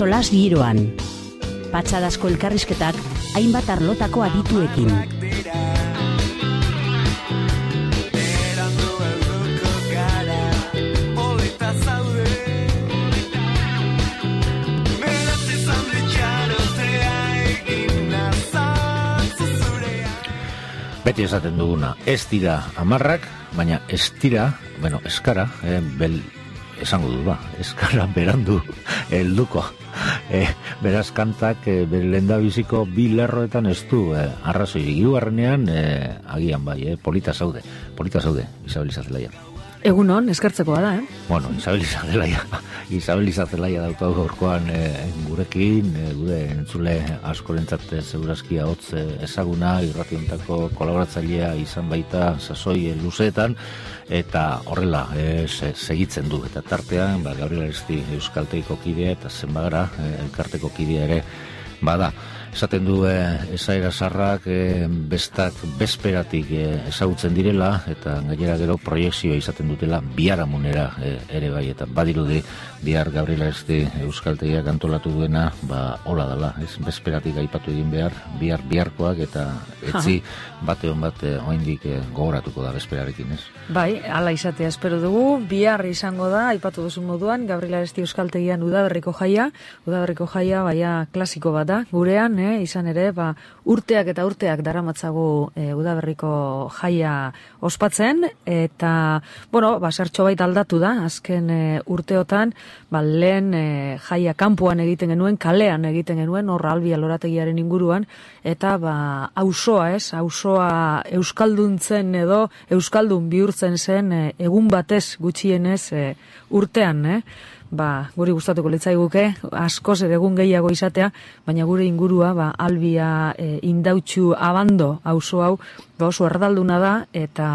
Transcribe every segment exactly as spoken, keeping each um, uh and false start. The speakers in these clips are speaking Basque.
solas giroan. Patxadazko elkarrizketak hainbat arlotako adituekin. Beti esaten duguna, ez dira amarrak, baina ez dira, bueno, eskara, eh, bel, esango du ba, eskara berandu helduko. Eh, beraz kantak, eh, bere lehendabiziko bi lerroetan ez du, eh, arrazoi hirugarrenean, eh, agian bai, eh, polita zaude, polita zaude, Isabel Izazelaia. Egunon, eskertzekoa da, eh? Bueno, Isabel Izazelaia, Isabel Izazelaia daukagu gaurkoan eh, gurekin, eh, gure entzule askorentzat segurazkia hotz ezaguna, irrationtako kolaboratzailea izan baita sasoi luzeetan, eta horrela eh, se, segitzen du, eta tartean, ba, Gabriel Aresti Euskaltegiko kidea, eta zenbagara, eh, elkarteko kidea ere, bada. Esaten du eh, esaera sarrak eh, bestak bezperatik eh, ezagutzen direla, eta gainera gero proiekzioa izaten dutela biharamunera eh, ere bai, eta badirudi bihar Gabriel Aresti Euskaltegiak antolatu duena, ba hola dela, ez bezperatik aipatu egin behar, bihar biharkoak, eta etzi bate hon bat eh, oraindik eh, gogoratuko da bezperarekin, ez? Bai, hala izatea espero dugu, bihar izango da, aipatu duzu moduan, Gabriel Aresti Euskaltegian udaberriko jaia, udaberriko jaia baia klasiko bat da, gurean, eh, izan ere, ba, urteak eta urteak daramatzagu e, udaberriko jaia ospatzen, eta, bueno, ba, zertxo bait aldatu da, azken e, urteotan, ba, lehen e, jaia kanpoan egiten genuen, kalean egiten genuen, horra Albia lorategiaren inguruan, eta, ba, auzoa, ez, auzoa euskalduntzen edo, euskaldun bihurtzen zen, e, egun batez gutxienez e, urtean, eh? Ba, guri gustatuko litzaiguke, askoz ere egun gehiago izatea, baina gure ingurua, ba, Albia e, indautxu abando auzo hau, ba, oso erdalduna da, eta,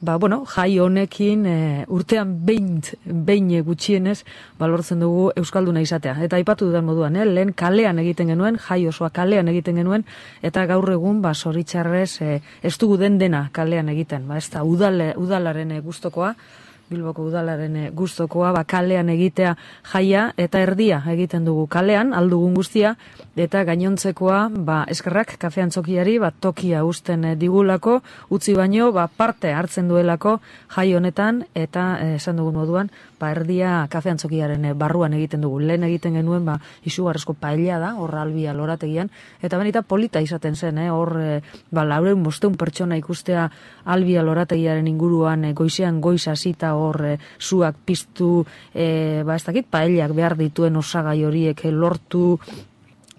ba, bueno, jai honekin e, urtean behin, behin gutxienez, ba, lortzen dugu euskalduna izatea. Eta aipatu dudan moduan, eh? Lehen kalean egiten genuen, jai osoa kalean egiten genuen, eta gaur egun, ba, zoritxarrez, e, ez dugu den dena kalean egiten, ba, ez da, udale, udalaren e, gustokoa, Bilboko udalaren gustokoa, ba, kalean egitea jaia, eta erdia egiten dugu kalean, aldugun guztia, eta gainontzekoa, ba, eskerrak kafean txokiari, ba, tokia usten digulako, utzi baino, ba, parte hartzen duelako jai honetan, eta eh, esan dugun moduan, ba, erdia kafean txokiaren barruan egiten dugu. Lehen egiten genuen, ba, izugarrezko paella da, hor Albia lorategian, eta benita polita izaten zen, eh, hor, eh, ba, laureun bosteun pertsona ikustea Albia lorategiaren inguruan, eh, goizean goiz hasita hor e, zuak piztu, e, ba ez dakit, paellak behar dituen osagai horiek lortu,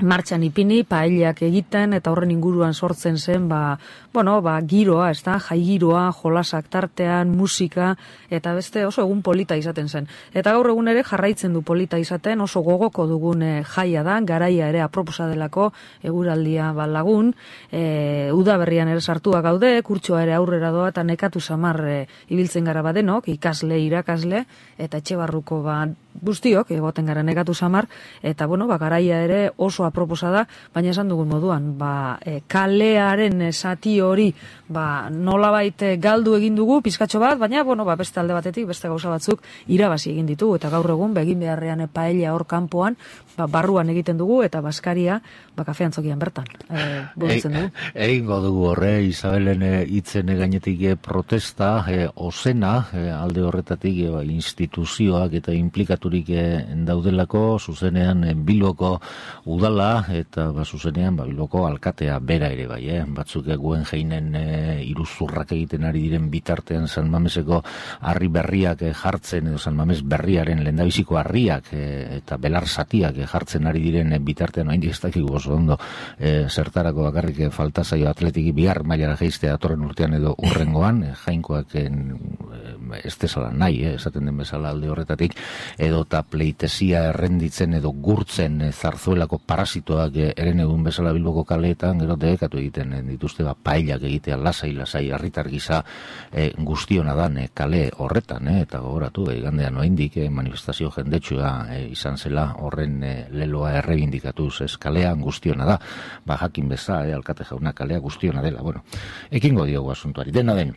martxan ipini, paellak egiten, eta horren inguruan sortzen zen, ba, bueno, ba, giroa, ez da, jai giroa, jolasak tartean, musika, eta beste oso egun polita izaten zen. Eta gaur egun ere jarraitzen du polita izaten, oso gogoko dugun e, jaia da, garaia ere aproposa delako, eguraldia ba, lagun, e, udaberrian ere sartua gaude, kurtsoa ere aurrera doa, eta nekatu samar e, ibiltzen gara badenok, ikasle, irakasle, eta etxe barruko ba, guztiok, egoten gara nekatu samar, eta bueno, ba, garaia ere oso aproposa da, baina esan dugun moduan, ba, e, kalearen zati hori, ba, nolabait galdu egin dugu, pizkatxo bat, baina, bueno, ba, beste alde batetik, beste gauza batzuk irabazi egin ditugu, eta gaur egun, begin beharrean paella hor kanpoan, ba, barruan egiten dugu, eta baskaria, ba, kafean txokian bertan, e, burutzen dugu. Egingo dugu horre, Isabelen hitzen gainetik e, protesta, e, ozena, e, alde horretatik, e, ba, instituzioak eta implikaturik e, daudelako, zuzenean e, Bilboko udala, eta ba, zuzenean ba, Bilboko alkatea bera ere bai, eh? Batzuk eguen jeinen e, iruzurrak egiten ari diren bitartean San Mameseko harri berriak e, jartzen, edo San Mames berriaren lehendabiziko harriak e, eta belar zatiak e, jartzen ari diren e, bitartean, oraindik ez dakigu oso ondo e, zertarako bakarrik e, falta zaio atletiki bihar mailara jaistea datorren urtean edo urrengoan, e, jainkoak e, ez dezala nahi, eh, esaten den bezala alde horretatik, edo eta pleitezia errenditzen edo gurtzen e, zarzuelako parasitoak e, eren egun bezala Bilboko kaleetan, gero debekatu egiten e, dituzte ba, paellak egitea lasai, lasai, herritar gisa e, guztiona dan e, kale horretan, e, eta gogoratu, e, gandean oraindik e, manifestazio jendetsua e, izan zela horren e, leloa errebindikatuz, ez kalean guztiona da, ba jakin beza, e, alkate jauna kalea guztiona dela, bueno, ekingo diogu asuntuari, dena den.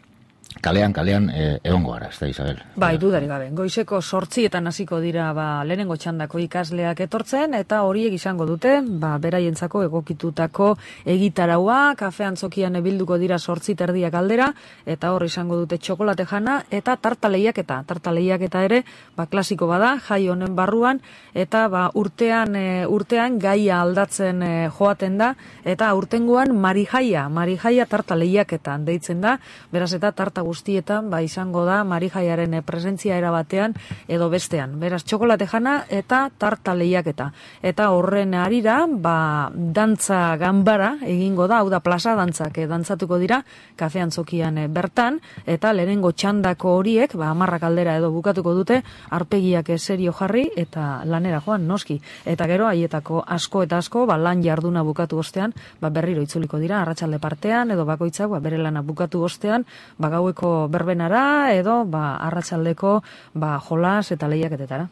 kalean, kalean e, egongo gara, ez da, Isabel? Bai, dudarik gabe. Goizeko sortzietan hasiko dira ba, lehenengo txandako ikasleak etortzen, eta horiek izango dute, ba, beraientzako egokitutako egitaraua, kafe antzokian bilduko dira sortzi terdiak aldera, eta hor izango dute txokolate jana, eta tarta lehiaketa. Tarta lehiaketa ere, ba, klasiko bada, jai honen barruan, eta ba, urtean, e, urtean gaia aldatzen e, joaten da, eta urtengoan marijaia, marijaia tarta lehiaketan deitzen da, beraz eta tarta guztietan ba, izango da marijaiaren presentzia erabatean edo bestean. Beraz, txokolate jana eta tarta lehiaketa. Eta horren arira, ba, dantza ganbara egingo da, hau da plaza dantzak eh, dantzatuko dira, kafe antzokian eh, bertan, eta lehenengo txandako horiek, ba, amarrak aldera edo bukatuko dute, arpegiak eh, serio jarri eta lanera joan noski. Eta gero, haietako asko eta asko, ba, lan jarduna bukatu ostean, ba, berriro itzuliko dira, arratsalde partean, edo bakoitzak, ba, bere lana bukatu ostean, ba, gaueko berbenara edo ba, arratsaldeko ba, jolas eta lehiaketetara.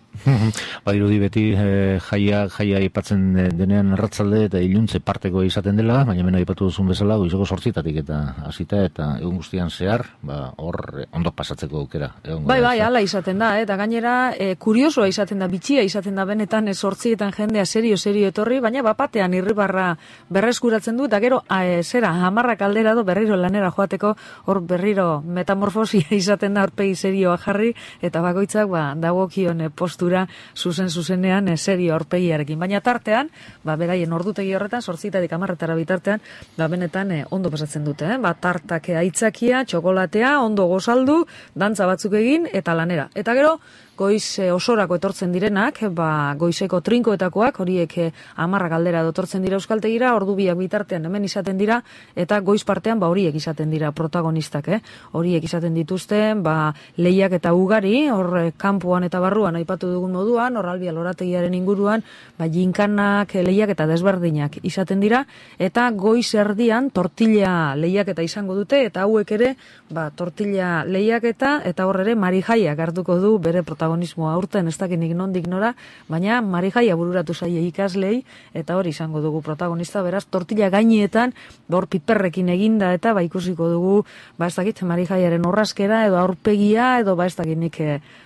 Ba, dirudi beti e, jaia, jaia aipatzen denean arratsalde eta iluntze parteko izaten dela, baina mena aipatu duzun bezala goizeko sortzitatik eta hasita eta egun guztian zehar, ba, hor ondo pasatzeko aukera. Bai, bai, hala izaten da, eta gainera e, kuriosoa izaten da, bitxia izaten da benetan e, sortzietan jendea serio, serio etorri, baina bapatean irribarra berreskuratzen du, eta gero e, zera, hamarrak aldera do berriro lanera joateko, hor berriro metamorfosia izaten da aurpegi serioa jarri, eta bakoitzak ba, dagokion postura zuzen zuzenean serio aurpegiarekin. Baina tartean, ba, beraien ordutegi horretan, sortzitatik amarretara bitartean, ba, benetan eh, ondo pasatzen dute. Eh? Ba, tartake aitzakia, txokolatea, ondo gozaldu, dantza batzuk egin, eta lanera. Eta gero, goiz e, osorako etortzen direnak, ba, goizeko trinkoetakoak, horiek e, amarrak aldera etortzen dira euskaltegira, ordu biak bitartean hemen izaten dira, eta goiz partean ba, horiek izaten dira protagonistak, eh? Horiek izaten dituzten, ba, lehiak eta ugari, hor e, kanpoan eta barruan aipatu dugun moduan, hor albia lorategiaren inguruan, ba, jinkanak, lehiak eta desberdinak izaten dira, eta goiz erdian tortilla lehiak eta izango dute, eta hauek ere, ba, tortilla lehiak eta, eta hor ere marijaiak hartuko du bere protagonistak. Protagonismoa aurten ez dakinik nondik nora, baina marijaia bururatu zaie ikaslei, eta hori izango dugu protagonista, beraz, tortilla gainietan, hor piperrekin eginda, eta ba ikusiko dugu, ba ez dakit, marijaiaren orraskera, edo aurpegia, edo ba ez dakinik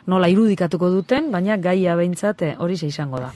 nola irudikatuko duten, baina gaia behintzat hori ze izango da.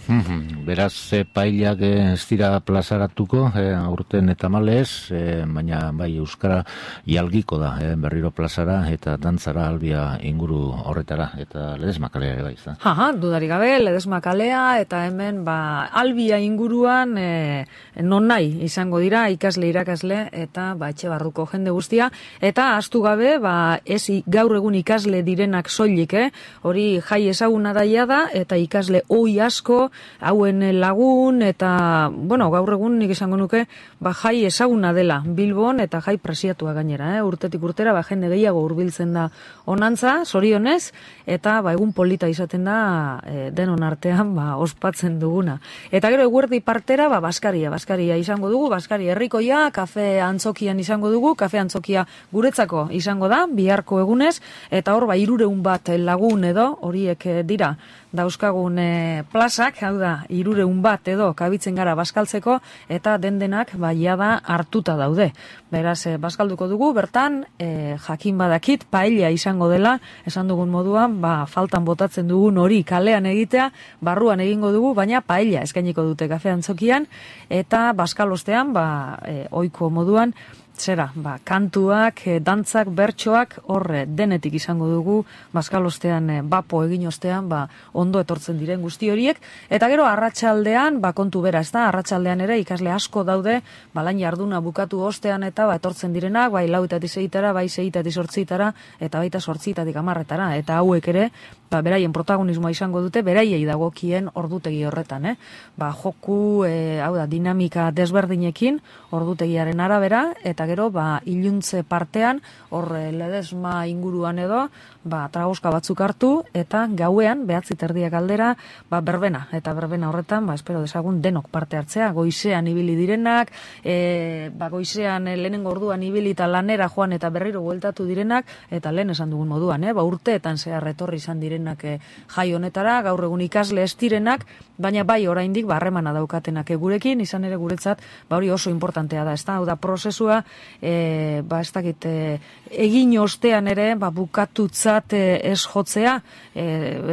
Beraz, e, pailak ez dira plazaratuko, e, aurten eta malez, e, baina bai euskara ialgiko da, e, berriro plazara, eta dantzara albia inguru horretara, eta ledesma kalea ere bai, ez da? Aha, dudari gabe, ledesma kalea, eta hemen, ba, albia inguruan e, non nahi izango dira, ikasle, irakasle, eta ba, etxe barruko jende guztia, eta astu gabe, ba, ez gaur egun ikasle direnak soilik, eh? Hori jai ezaguna daia da, eta ikasle oi asko, hauen lagun, eta, bueno, gaur egun nik esango nuke, ba, jai ezaguna dela Bilbon, eta jai presiatua gainera, eh? Urtetik urtera, ba, jende gehiago hurbiltzen da onantza, zorionez, eta, ba, egun polita izaten da e, denon artean ba, ospatzen duguna. Eta gero eguerdi partera ba, Baskaria, Baskaria izango dugu, Baskaria herrikoia, kafe antzokian izango dugu, kafe antzokia guretzako izango da, biharko egunez, eta hor ba, hirureun bat lagun edo, horiek dira, dauzkagun e, plazak, hau da, hirureun bat edo kabitzen gara baskaltzeko, eta dendenak ba, jada hartuta daude. Beraz, e, baskalduko dugu, bertan, e, jakin badakit, paella izango dela, esan dugun moduan, ba, faltan botatzen dugun hori kalean egitea, barruan egingo dugu, baina paella eskainiko dute kafe antzokian, eta baskalostean, ba, e, ohiko moduan, zera, ba, kantuak, e, dantzak, bertsoak, horre denetik izango dugu, baskalostean, e, bapo egin ostean, ba, ondo etortzen diren guzti horiek, eta gero arratsaldean, ba, kontu bera, ez da, arratsaldean ere ikasle asko daude, ba, lan jarduna bukatu ostean eta ba, etortzen direnak, bai lauetatik seitara, bai seitatik sortzitara, eta baita sortzitatik amarretara, eta hauek ere, ba, beraien protagonismoa izango dute, beraiei dagokien ordutegi horretan, eh? Ba, joku, e, hau da, dinamika desberdinekin, ordutegiaren arabera, eta gero, ba, iluntze partean, hor ledesma inguruan edo, ba, tragoska batzuk hartu, eta gauean, behatzi terdiak aldera, ba, berbena, eta berbena horretan, ba, espero desagun denok parte hartzea, goizean ibili direnak, e, ba, goizean e, lehenengo orduan ibili eta lanera joan eta berriro bueltatu direnak, eta lehen esan dugun moduan, eh? Ba, urteetan zehar etorri izan direnak, direnak e, jai honetara, gaur egun ikasle ez direnak, baina bai oraindik ba harremana daukatenak e, gurekin, izan ere guretzat ba hori oso importantea da, ezta? Hau da prozesua e, ba ez dakit e, egin ostean ere ba bukatutzat e, ez jotzea, e,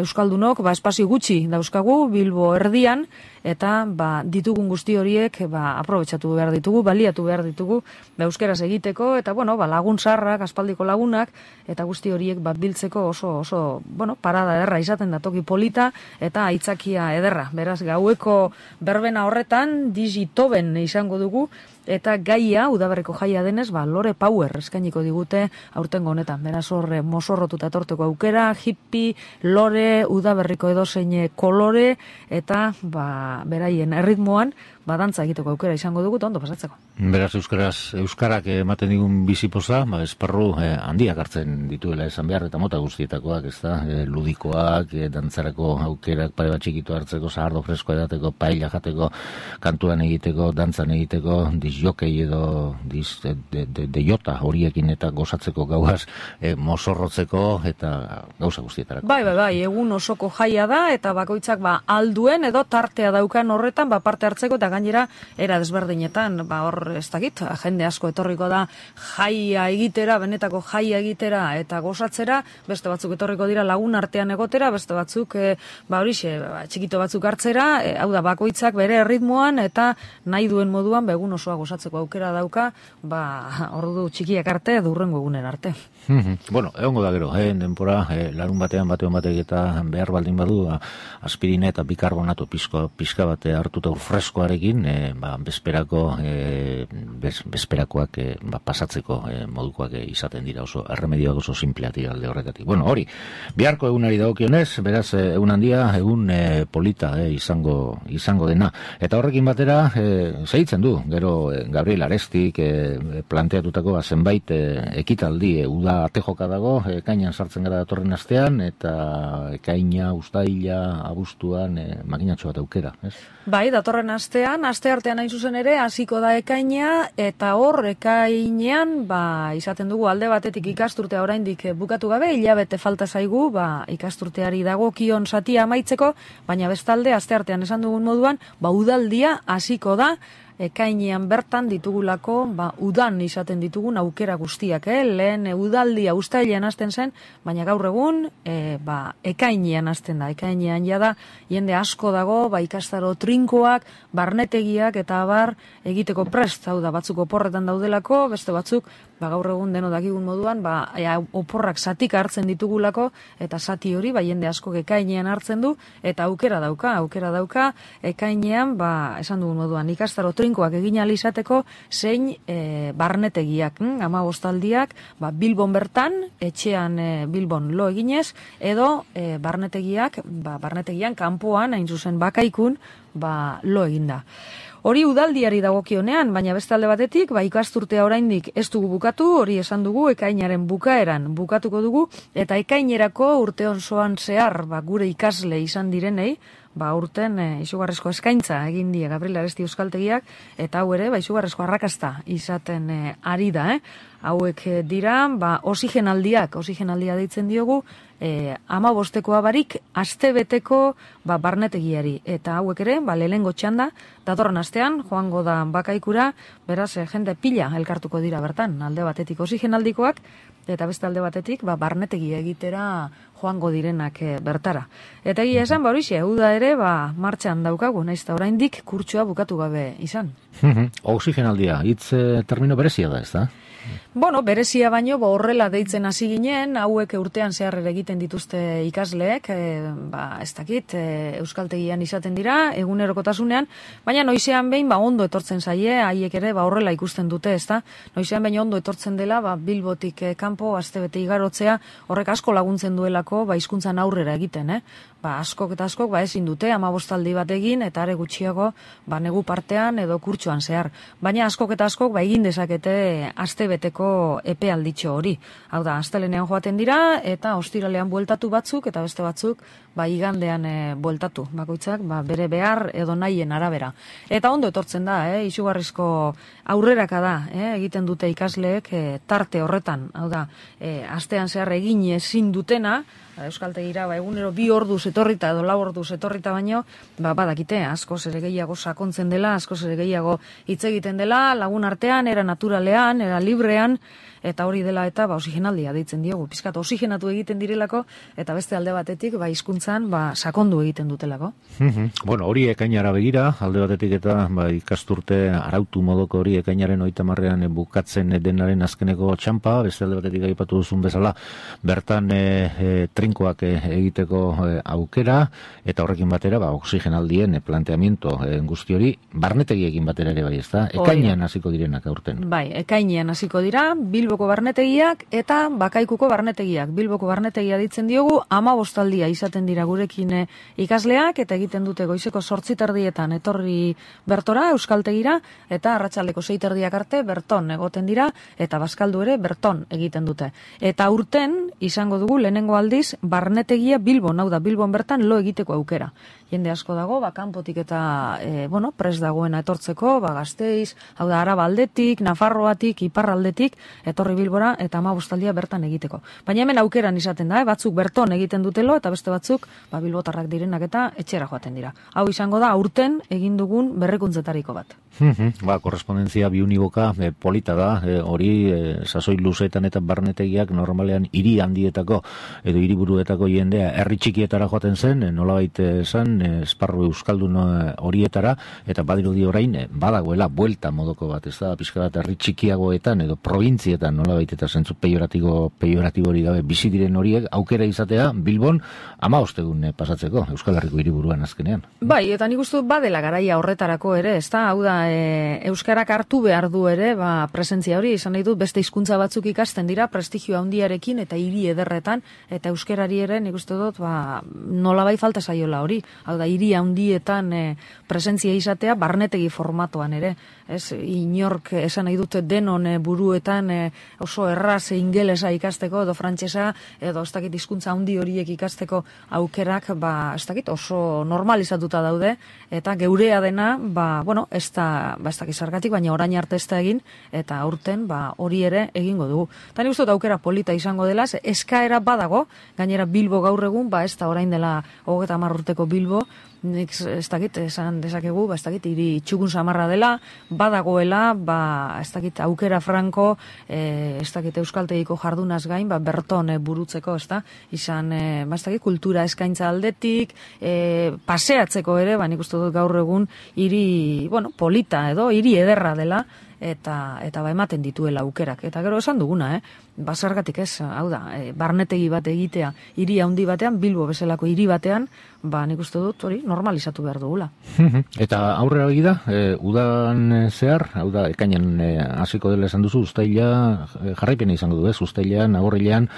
euskaldunok ba espazio gutxi dauzkagu Bilbo erdian, eta ba, ditugun guzti horiek ba, aprobetxatu behar ditugu, baliatu behar ditugu ba, euskeraz egiteko, eta bueno, ba, lagun sarrak, aspaldiko lagunak, eta guzti horiek ba, biltzeko oso, oso bueno, parada ederra izaten da toki polita, eta aitzakia ederra. Beraz, gaueko berbena horretan, digitoben izango dugu, eta gaia, udaberriko jaia denez, ba, Lore Power eskainiko digute aurtengo honetan. Beraz, horre mosorrotuta etorteko aukera, hippie, lore, udaberriko edozein kolore, eta ba, beraien erritmoan, badantza egiteko aukera izango dugu, ondo pasatzeko. Beraz, euskaraz, euskarak ematen digun bizipoza, ba, esparru eh, handiak hartzen dituela esan behar, eta mota guztietakoak, ez da, eh, ludikoak, eh, dantzarako aukerak, pare bat txikitu hartzeko, zahardo fresko edateko, paella jateko, kantuan egiteko, dantzan egiteko, disjokei edo dis, de, de, de, de jota horiekin eta gozatzeko gauaz, eh, mosorrotzeko eta gauza guztietarako. Bai, bai, bai, egun osoko jaia da, eta bakoitzak ba, alduen edo tartea daukan horretan, ba, parte hartzeko, eta gainera era desberdinetan, ba hor ez dakit, jende asko etorriko da jaia egitera, benetako jaia egitera eta gozatzera, beste batzuk etorriko dira lagun artean egotera, beste batzuk e, ba horixe, ba, txikito batzuk hartzera, e, hau da bakoitzak bere erritmoan eta nahi duen moduan begun osoa gozatzeko aukera dauka, ba ordu txikiak arte durrengo egunen arte. Bueno, egongo da gero, eh, denpora, eh, larun batean batean batek eta behar baldin badu, aspirina eta bikarbonato pizko, pizka bate hartuta freskoarekin, eh, ba, bezperako, eh, bez, bezperakoak eh, ba, pasatzeko eh, modukoak eh, izaten dira oso, erremedioak oso simpleak dira alde horretatik. Bueno, hori, biharko egunari dagokionez, beraz, eh, egun handia, egun eh, polita eh, izango, izango dena. Eta horrekin batera, eh, segitzen du, gero eh, Gabriel Arestik eh, planteatutako zenbait eh, ekitaldi, eh, uda atejoka dago, ekainan sartzen gara datorren astean, eta ekaina, ustaila, abuztuan, e, makinatxo bat aukera, ez? Bai, datorren astean, aste artean hain zuzen ere, hasiko da ekaina, eta hor ekainean, ba, izaten dugu alde batetik ikasturtea oraindik bukatu gabe, hilabete falta zaigu, ba, ikasturteari dagokion satia amaitzeko, baina bestalde, aste artean esan dugun moduan, ba, udaldia hasiko da, ekainean bertan ditugulako, ba, udan izaten ditugun aukera guztiak, eh? Lehen e, udaldia ustailean hasten zen, baina gaur egun, e, ba, ekainean hasten da, ekainean jada, jende asko dago, ba, ikastaro trinkoak, barnetegiak eta abar egiteko prest, hau da, batzuk oporretan daudelako, beste batzuk, ba, gaur egun deno dakigun moduan, ba, ea, oporrak satik hartzen ditugulako, eta sati hori, ba, jende asko ekainean hartzen du, eta aukera dauka, aukera dauka, ekainean, ba, esan dugun moduan, ikastaro trinkoak egin alizateko, zein e, barnetegiak, hm? ama bostaldiak, ba, Bilbon bertan, etxean e, Bilbon lo eginez, edo e, barnetegiak, ba, barnetegian kanpoan, hain zuzen bakaikun, ba, lo eginda. Hori udaldiari dagokionean, baina beste alde batetik, ba, ikasturtea oraindik ez dugu bukatu, hori esan dugu, ekainaren bukaeran bukatuko dugu, eta ekainerako urte osoan zehar, ba, gure ikasle izan direnei, ba, urten e, izugarrezko eskaintza egin die Gabriel Aresti euskaltegiak, eta hau ere, ba, izugarrezko arrakasta izaten e, ari da, eh? Hauek e, dira, ba, oxigenaldiak, oxigenaldia deitzen diogu, e, ama bostekoa barik, astebeteko ba, barnetegiari, eta hauek ere, ba, lehengo txanda, datorren astean, joango da bakaikura, beraz, e, jende pila elkartuko dira bertan, alde batetik oxigenaldikoak, eta beste alde batetik, ba, barnetegi egitera joango direnak e, bertara. Eta egia esan, ba, horixe, uda ere, ba, martxan daukagu, naiz eta oraindik kurtsoa bukatu gabe izan. Oxigenaldia, hitz e, termino berezia da, ez da? Bueno, berezia baino, bo horrela deitzen hasi ginen, hauek urtean zehar egiten dituzte ikasleek, e, ba, ez dakit, e, euskaltegian izaten dira, egunerokotasunean, baina noizean behin, ba, ondo etortzen zaie, haiek ere, ba, horrela ikusten dute, ez da? Noizean behin ondo etortzen dela, ba, Bilbotik e, kanpo, astebete igarotzea, horrek asko laguntzen duelako, ba, hizkuntzan aurrera egiten, eh? ba, askok eta askok ba, ezin dute hamabostaldi bat egin eta are gutxiago ba, negu partean edo kurtsuan zehar. Baina askok eta askok ba, egin dezakete astebeteko epealditxo hori. Hau da, astelenean joaten dira eta ostiralean bueltatu batzuk eta beste batzuk ba, igandean e, bueltatu. Bakoitzak ba, bere behar edo nahien arabera. Eta ondo etortzen da, eh, izugarrizko aurreraka da, eh, egiten dute ikasleek e, tarte horretan. Hau da, e, astean zehar egin ezin dutena, euskaltegira ba, egunero bi orduz etorrita edo lau orduz etorrita baino, ba, badakite, askoz ere gehiago sakontzen dela, askoz ere gehiago hitz egiten dela, lagun artean, era naturalean, era librean, eta hori dela eta ba, oxigenaldia deitzen diogu. Pizkat oxigenatu egiten direlako, eta beste alde batetik ba, hizkuntzan ba, sakondu egiten dutelako. Bueno, hori ekainara begira, alde batetik eta ba, ikasturte arautu modoko hori ekainaren hogeita hamarrean bukatzen denaren azkeneko txampa, beste alde batetik aipatu duzun bezala, bertan e, e, trinkoak e, egiteko e, aukera, eta horrekin batera, ba, oxigenaldien e, planteamiento e, guzti hori, barnetegiekin batera ere bai, ezta? Ekainean hasiko direnak aurten. Bai, ekainean hasiko dira, Bilboko barnetegiak eta Bakaikuko barnetegiak. Bilboko barnetegia ditzen diogu, hamabostaldia izaten dira gurekin e, ikasleak, eta egiten dute goizeko zortzi terdietan etorri bertora, euskaltegira, eta arratsaldeko sei terdiak arte berton egoten dira, eta bazkaldu ere berton egiten dute. Eta urten, izango dugu lehenengo aldiz, barnetegia Bilbon, hau da, Bilbon bertan lo egiteko aukera. Jende asko dago, ba, kanpotik eta, e, bueno, pres dagoena etortzeko, ba, Gasteiz, hau da, Araba aldetik, Nafarroatik, Iparraldetik, etorri Bilbora, eta hamabostaldia bertan egiteko. Baina hemen aukeran izaten da, eh? Batzuk berton egiten dutelo, eta beste batzuk, ba, bilbotarrak direnak eta etxera joaten dira. Hau izango da, aurten egin dugun berrikuntzetariko bat. Ba, korrespondentzia biuniboka e, polita da, e, hori e, sasoi luzeetan eta barnetegiak normalean hiri handietako edo hiriburuetako jendea herri txikietara joaten zen, e, nolabait esan, e, esparru euskaldun horietara, eta badirudi orain e, badagoela buelta modoko bat, ez da, pixka bat herri txikiagoetan edo provintzietan nolabait eta zentzu pejoratibo, pejoratibo hori gabe bizi diren horiek aukera izatea Bilbon hamabost egun e, pasatzeko Euskal Herriko hiriburuan azkenean. Bai, eta nik uste dut badela garaia horretarako ere, ez da, hau da, E, euskarak hartu behar du ere, ba, presentzia hori, izan nahi dut, beste hizkuntza batzuk ikasten dira, prestigio handiarekin eta hiri ederretan, eta euskarari ere, nik uste dut, ba, nolabai falta zaiola hori, hau da, hiri handietan e, presentzia izatea, barnetegi formatoan ere, ez, inork esan nahi dute denon e, buruetan e, oso erraz e, ingelesa ikasteko, edo frantsesa, edo ez dakit hizkuntza handi horiek ikasteko aukerak, ba, ez dakit, oso normalizatuta daude, eta geurea dena, ba, bueno, ez da ba, ez dakiz zergatik, baina orain arte ez da egin, eta aurten ba, hori ere egingo dugu. Eta nik uste dut aukera polita izango dela, eskaera badago, gainera Bilbo gaur egun, ba, ez da orain dela hogeita hamar urteko Bilbo, nik ez dakit, esan dezakegu, ba, ez dakit, hiri txukun samarra dela, badagoela, ba, ez dakit, aukera franko, e, ez dakit, euskaltegiko jardunaz gain, ba, berton e, burutzeko, ez da, izan, e, ba, ez dakit, kultura eskaintza aldetik, e, paseatzeko ere, ba, nik uste dut gaur egun, hiri, bueno, polita edo, hiri ederra dela, eta eta ba ematen dituela aukerak. Eta gero esan duguna, eh? Bazargatik ez, hau da, e, barnetegi bat egitea hiri handi batean, Bilbo bezalako hiri batean, ba nik uste dut hori normalizatu behar dugula. Eta aurrera begi da, e, udan zehar, hau da, ekainan hasiko dela esan duzu, uztaila jarraipena izango du, ez? Uztailean, agorrilean,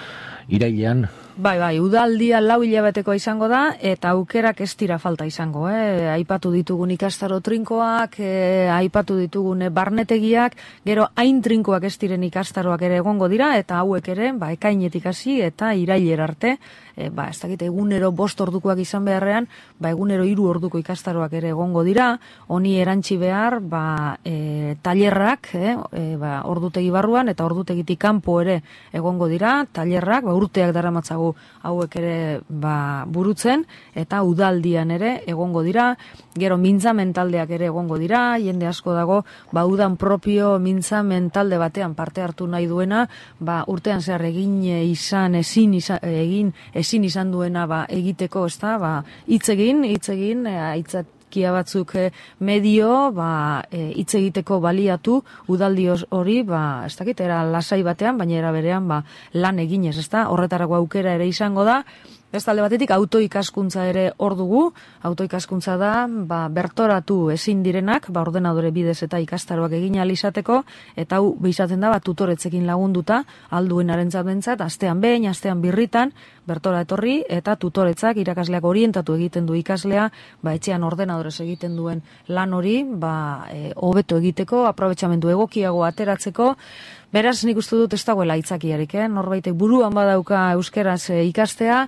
irailean. Bai, bai, udaldia lau hilabetekoa izango da, eta aukerak ez dira falta izango, eh? Aipatu ditugun ikastaro trinkoak, eh, aipatu ditugun barnetegiak, gero hain trinkoak ez diren ikastaroak ere egongo dira, eta hauek ere, ba, ekainetik hasi eta irailera arte, e, ba, ez dakit, egunero bost ordukoak izan beharrean, ba, egunero hiru orduko ikastaroak ere egongo dira, honi erantzi behar, ba, e, tailerrak, eh, e, ba, ordutegi barruan, eta ordutegitik kanpo ere egongo dira, tailerrak, ba, urteak daramatzagu hauek ere ba, burutzen, eta udaldian ere egongo dira, gero mintzamen taldeak ere egongo dira, jende asko dago, ba, udan propio mintzamen talde batean parte hartu nahi duena, ba, urtean zehar egin izan, ezin izan, egin, ezin izan duena ba, egiteko, ezta, ba, hitz egin, hitz egin, aitzat, kia batzuk medio, ba, hitz egiteko baliatu, udaldi hori, ba, ez dakit, era lasai batean, baina era berean, ba, lan eginez, ezta, horretarako aukera ere izango da, Beste alde batetik autoikaskuntza ere hor dugu. Autoikaskuntza da, ba, bertoratu ezin direnak, ba, ordenadore bidez eta ikastaroak egin ahal izateko, eta hau behizaten da, ba, tutoretzekin lagunduta, alduenarentzat bentzat, astean behin, astean birritan, bertora etorri, eta tutoretzak irakasleak orientatu egiten du ikaslea, ba, etxean ordenadorez egiten duen lan hori, ba, e, hobeto egiteko, aprobetxamendu egokiago ateratzeko. Beraz, nik uste dut ez dagoela aitzakiarik, eh? Norbaitek buruan badauka euskeraz e, ikastea,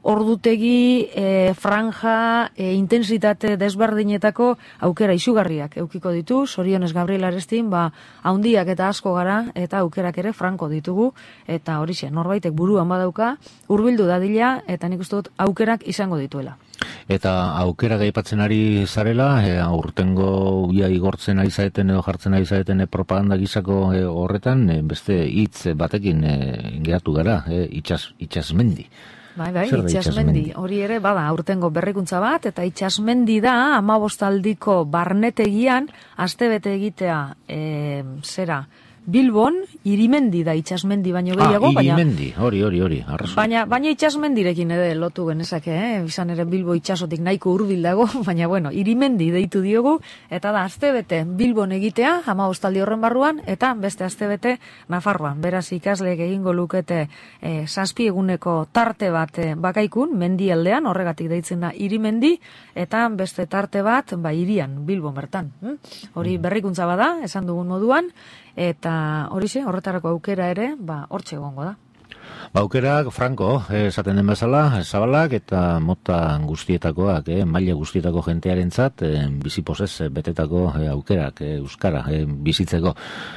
ordutegi, e, franja, e, intensitate desberdinetako aukera izugarriak eukiko ditu. Zorionez Gabriel Arestin, ba, haundiak eta asko gara, eta aukerak ere franko ditugu, eta horixe, norbaitek buruan badauka, hurbildu dadila, eta nik uste dut aukerak izango dituela. Eta aukera gaipatzen ari zarela, e, aurtengo ia igortzen ari zaeten edo jartzen ari zaeten e, propaganda gizako e, horretan, e, beste hitz batekin e, geratu gara, e, itxas, itxasmendi. Bai, bai, itxasmendi. Hori ere, bada, aurtengo berrikuntza bat, eta itxasmendi da, amabostaldiko barnetegian, astebete egitea, e, zera, Bilbon, irimendi da itxasmendi baino gehiago, ah, irimendi, hori, hori, hori, arrazu. Baina, baina itxasmendirekin ere lotu genezake, eh? Izan ere Bilbo itxasotik nahiko hurbil dago, baina bueno, irimendi deitu diogu, eta da, astebete Bilbon egitea, hamabostaldi horren barruan, eta beste astebete Nafarroan. Beraz, ikasleek egingo lukete eh, zazpi eguneko tarte bat eh, bakaikun, mendialdean, horregatik deitzen da irimendi, eta beste tarte bat, ba, irian, Bilbon bertan. Hm? Hori berrikuntza bada, esan dugun moduan, eta horixe, horretarako aukera ere, ba, hortxe egongo da. Ba, aukerak, franko, eh, esaten den bezala, zabalak eta mota guztietakoak, eh, maila guztietako jentearentzat, eh, bizipozez betetako eh, aukerak, eh, euskara, eh, bizitzeko.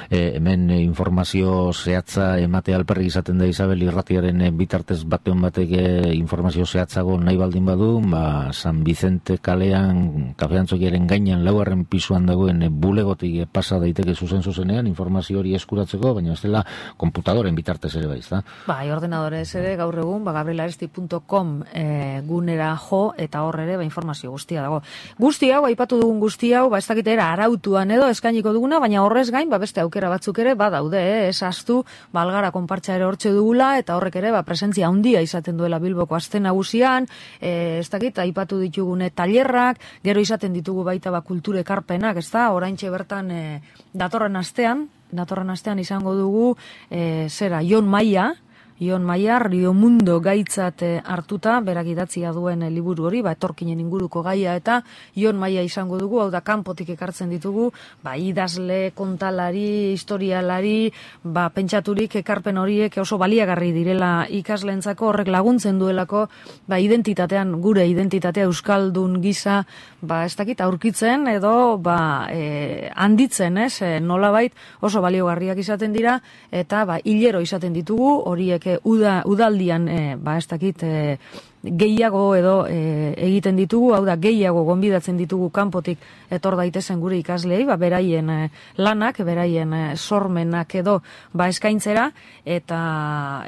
Eh, hemen eh, informazio zehatza emate alperrik izaten da Isabel irratiaren eh, bitartez batean batek eh, informazio zehatzago nahi baldin badu, ba, San Vicente kalean, kafeantzokiaren gainean laugarren pisuan dagoen eh, bulegotik eh, pasa daiteke zuzen zuzenean, informazio hori eskuratzeko, baina ez dela komputadoren bitartez ere baiz, da? Bai, ordenadorez ere gaur egun, ba, gabrielaresti punto com e, gunera jo, eta hor ere ba, informazio guztia dago. Guzti hau, aipatu dugun guzti hau, ba, ez dakitera arautuan edo eskainiko duguna, baina horrez gain, ba, beste aukera batzuk ere badaude, eh? Ez astu, ba, Algara konpartsa ere hortxe dugula, eta horrek ere, ba, presentzia handia izaten duela Bilboko aste nagusian, e, ez dakit, aipatu ditugune tailerrak, gero izaten ditugu baita ba, kulture ekarpenak, ez da, oraintxe bertan e, datorren astean, datorren astean izango dugu, e, zera, Jon Maia, Ion Maia, Rio Mundo gaitzat hartuta, berak idatzia duen liburu hori, ba, etorkinen inguruko gaia, eta Ion Maia izango dugu, hau da, kanpotik ekartzen ditugu, ba, idazle, kontalari, historialari, ba, pentsaturik ekarpen horiek oso baliagarri direla ikasleentzako, horrek laguntzen duelako, ba, identitatean, gure identitatea euskaldun gisa, ba, ez dakit, aurkitzen, edo, ba, e, handitzen, ez, e, nolabait oso baliogarriak izaten dira, eta, ba, hilero izaten ditugu, horiek Uda, udaldian, e, ba, ez dakit, e, gehiago edo e, egiten ditugu, hau da, gehiago gonbidatzen ditugu kanpotik etor daitezen gure ikaslei, ba, beraien e, lanak, beraien e, sormenak edo, ba, eskaintzera, eta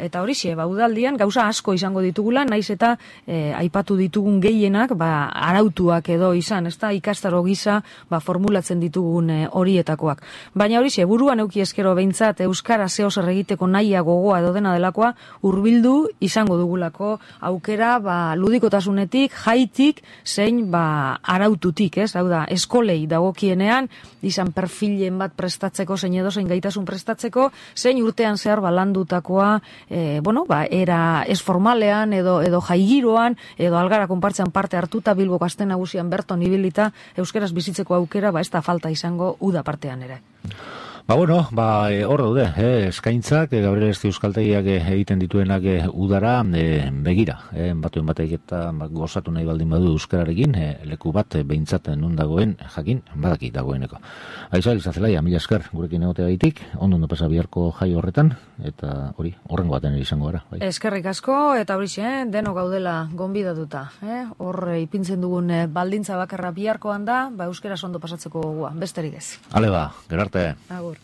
eta horixe, ba, udaldian gauza asko izango ditugula, naiz eta e, aipatu ditugun gehienak, ba, arautuak edo izan, ez da, ikastaro gisa, ba, formulatzen ditugun e, horietakoak. Baina horixe, buruan euki eskero behintzat, euskara zeo zer egiteko naia gogoa edo dena delakoa, hurbildu izango dugulako aukera, ba, ludikotasunetik, jaitik, zein ba, araututik, ez? Hau da, eskolei dagokienean, izan perfilen bat prestatzeko, zein edo zein gaitasun prestatzeko, zein urtean zehar balandutakoa, e, bueno, ba, era ez formalean, edo, edo jaigiroan, edo Algara konpartzean parte hartuta, Bilboko aste nagusian berton ibilita, euskeraz bizitzeko aukera, ba, ez da falta izango uda partean ere. Ba, bueno, ba, e, hor daude, eh, eskaintzak, e, Gabriel Arestin euskaltegiak e, egiten dituenak e, udara e, begira, e, batuen batek eta ba, gozatu nahi baldin badu euskararekin, e, leku bat e, behintzat non dagoen, jakin, badaki dagoeneko. Aiza, Elizazelaia, mila esker, gurekin egotea gaitik, ondo ondo pasa biharko jai horretan, eta hori, horrengo baten izango gara. Bai. Eskerrik asko, eta hori xe, deno gaudela gonbidatuta, eh? Hor e, ipintzen dugun e, baldintza bakarra biharkoan da, ba, euskera ondo pasatzeko gogoa, besterik ez. Ale ba, gerarte. Agur.